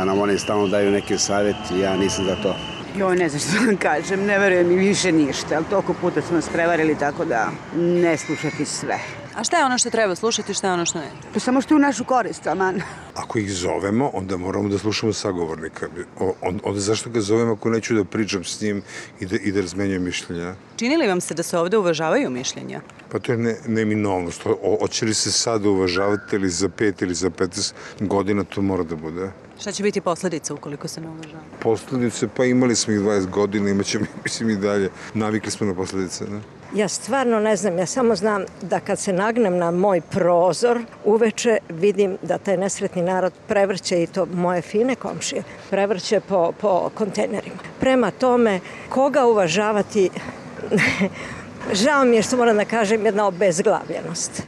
da nam oni stalno daju neke savjeti, ja nisam za to. Joj, ne znam što vam kažem, ne verujem mi više ništa, ali toliko puta smo nas prevarili, tako da ne slušati sve. A šta je ono što treba slušati, šta je ono što ne? To samo što je u našu korist, aman. Ako ih zovemo, onda moramo da slušamo sagovornika. Onda zašto ga zovemo ako neću da pričam s njim i da razmenjujem mišljenja? Čini li vam se da se ovde uvažavaju mišljenja? Pa to je neminovnost. Hoće li se sad uvažavati ili za 5 ili za 15 godina, to mora da bude. Šta će biti posledica ukoliko se ne uvažava? Posledice, pa imali smo ih 20 godina, imaćemo mislim i dalje. Navikli smo na posledice, ne? Ja stvarno ne znam, ja samo znam da kad se nagnem na moj prozor, uveče vidim da taj nesretni narod prevrće i to moje fine komšije, prevrće po kontejnerima. Prema tome, koga uvažavati, žao mi je što moram da kažem, jedna obezglavljenost.